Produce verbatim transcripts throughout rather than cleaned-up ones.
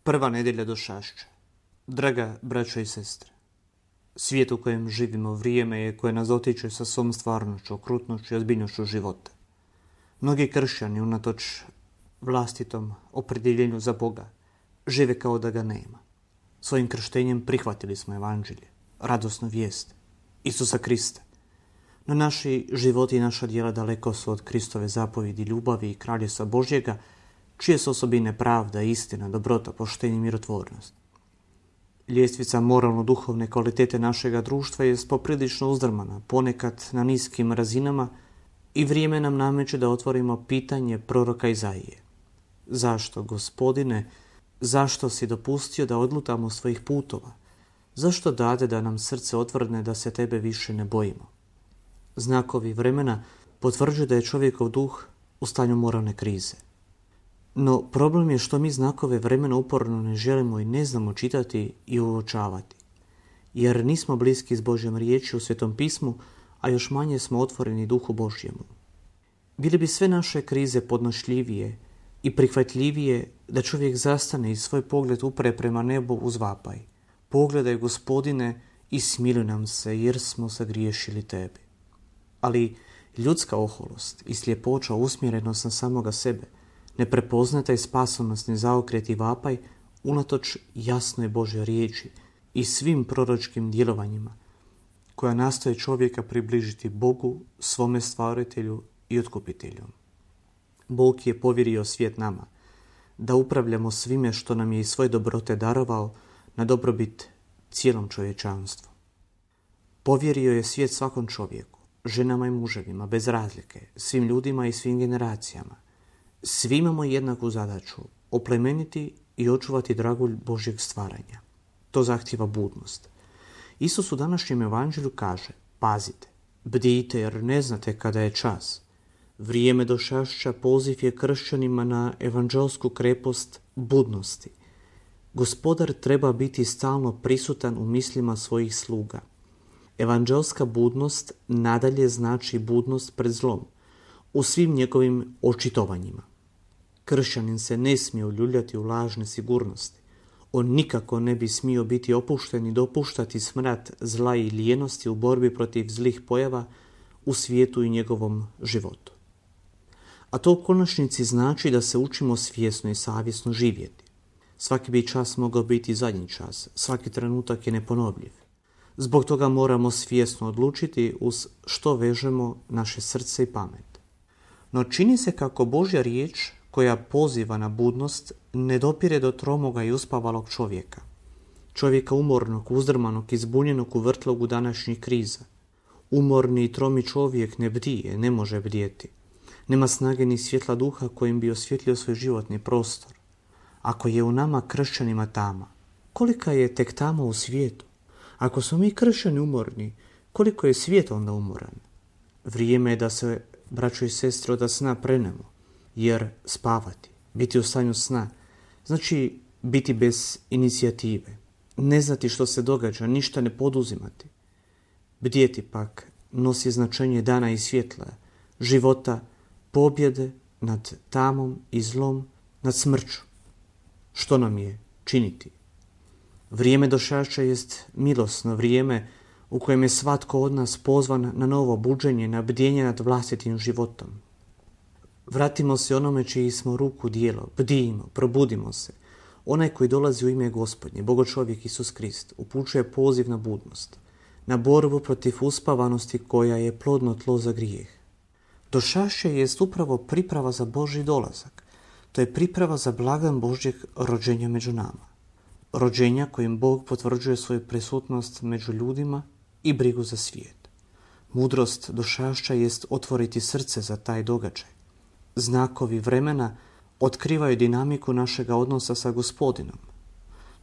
Prva nedjelja došašća. Draga braćo i sestre, svijet u kojem živimo vrijeme je koje nas dotiče sa svom stvarnošću, okrutnošću i ozbiljnošću života. Mnogi kršćani, unatoč vlastitom opredjeljenju za Boga, žive kao da ga nema. Svojim krštenjem prihvatili smo evanđelje, radosnu vijest, Isusa Krista. No naši životi i naša djela daleko su od Kristove zapovjedi, ljubavi i kraljevstva Božjega, čije su osobine pravda, istina, dobrota, poštenje i mirotvornost. Ljestvica moralno-duhovne kvalitete našega društva je poprilično uzdrmana, ponekad na niskim razinama, i vrijeme nam nameće da otvorimo pitanje proroka Izaije. Zašto, Gospodine, zašto si dopustio da odlutamo svojih putova? Zašto dade da nam srce otvrdne da se tebe više ne bojimo? Znakovi vremena potvrđuju da je čovjekov duh u stanju moralne krize. No problem je što mi znakove vremena uporno ne želimo i ne znamo čitati i uočavati, jer nismo bliski s Božjom riječi u Svetom pismu, a još manje smo otvoreni duhu Božjemu. Bili bi sve naše krize podnošljivije i prihvatljivije da čovjek zastane i svoj pogled upre prema nebu uz vapaj. Pogledaj, Gospodine, i smiluj nam se, jer smo sagriješili tebi. Ali ljudska oholost i sljepoća, usmjerenost na samoga sebe, ne prepozna taj spasonosni zaokret i vapaj unatoč jasnoj Božjoj riječi i svim proročkim djelovanjima koja nastoje čovjeka približiti Bogu, svome stvaritelju i otkupitelju. Bog je povjerio svijet nama, da upravljamo svime što nam je iz svoje dobrote darovao na dobrobit cijelom čovječanstvu. Povjerio je svijet svakom čovjeku, ženama i muževima, bez razlike, svim ljudima i svim generacijama. Svi imamo jednaku zadaću, oplemeniti i očuvati dragulj Božjeg stvaranja. To zahtijeva budnost. Isus u današnjem evanđelju kaže: pazite, bdijte, jer ne znate kada je čas. Vrijeme došašća poziv je kršćanima na evanđelsku krepost budnosti. Gospodar treba biti stalno prisutan u mislima svojih sluga. Evanđelska budnost nadalje znači budnost pred zlom, u svim njegovim očitovanjima. Kršćanin se ne smije uljuljati u lažne sigurnosti. On nikako ne bi smio biti opušten i dopuštati smrad zla i lijenosti u borbi protiv zlih pojava u svijetu i njegovom životu. A to u konačnici znači da se učimo svjesno i savjesno živjeti. Svaki bi čas mogao biti zadnji čas, svaki trenutak je neponovljiv. Zbog toga moramo svjesno odlučiti uz što vežemo naše srce i pamet. No čini se kako Božja riječ, koja poziva na budnost, ne dopire do tromoga i uspavalog čovjeka. Čovjeka umornog, uzdrmanog i zbunjenog u vrtlogu današnjih kriza. Umorni i tromi čovjek ne bdije, ne može bdjeti. Nema snage ni svjetla duha kojim bi osvjetlio svoj životni prostor. Ako je u nama kršćanima tama, kolika je tek tama u svijetu? Ako smo mi kršćani umorni, koliko je svijet onda umoran? Vrijeme je da se, braćo i sestre, od sna prenemo, jer spavati, biti u stanju sna, znači biti bez inicijative, ne znati što se događa, ništa ne poduzimati. Bdjeti pak nosi značenje dana i svjetla, života, pobjede nad tamom i zlom, nad smrću. Što nam je činiti? Vrijeme došašća jest milosno vrijeme u kojem je svatko od nas pozvan na novo buđenje, na bdjenje nad vlastitim životom. Vratimo se onome čiji smo ruku djelo, bdijimo, probudimo se. Onaj koji dolazi u ime Gospodnje, Bogočovjek Isus Krist, upućuje poziv na budnost, na borbu protiv uspavanosti koja je plodno tlo za grijeh. Došašće jest upravo priprava za Božji dolazak. To je priprava za blagdan Božjeg rođenja među nama. Rođenja kojim Bog potvrđuje svoju prisutnost među ljudima i brigu za svijet. Mudrost došašća jest otvoriti srce za taj događaj. Znakovi vremena otkrivaju dinamiku našega odnosa sa Gospodinom.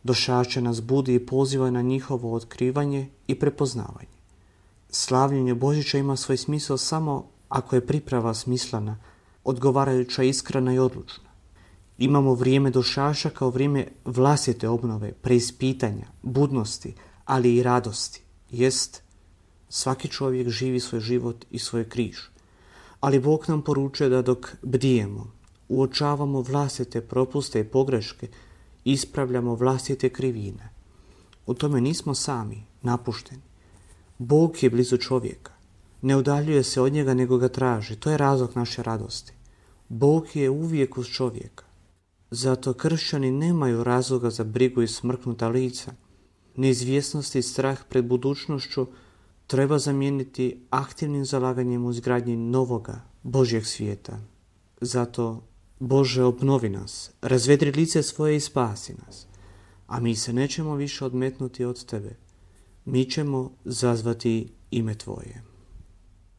Došašće nas budi i poziva na njihovo otkrivanje i prepoznavanje. Slavljenje Božića ima svoj smisao samo ako je priprava smislena, odgovarajuća, iskrena i odlučna. Imamo vrijeme došašća kao vrijeme vlastite obnove, preispitanja, budnosti, ali i radosti. Jest, svaki čovjek živi svoj život i svoj križ. Ali Bog nam poručuje da dok bdijemo, uočavamo vlastite propuste i pogreške ispravljamo vlastite krivine. U tome nismo sami, napušteni. Bog je blizu čovjeka. Ne udaljuje se od njega, nego ga traži. To je razlog naše radosti. Bog je uvijek uz čovjeka. Zato kršćani nemaju razloga za brigu i smrknuta lica. Neizvjesnost i strah pred budućnošću treba zamijeniti aktivnim zalaganjem u izgradnji novoga Božjeg svijeta. Zato, Bože, obnovi nas, razvedri lice svoje i spasi nas. A mi se nećemo više odmetnuti od Tebe. Mi ćemo zazvati ime Tvoje.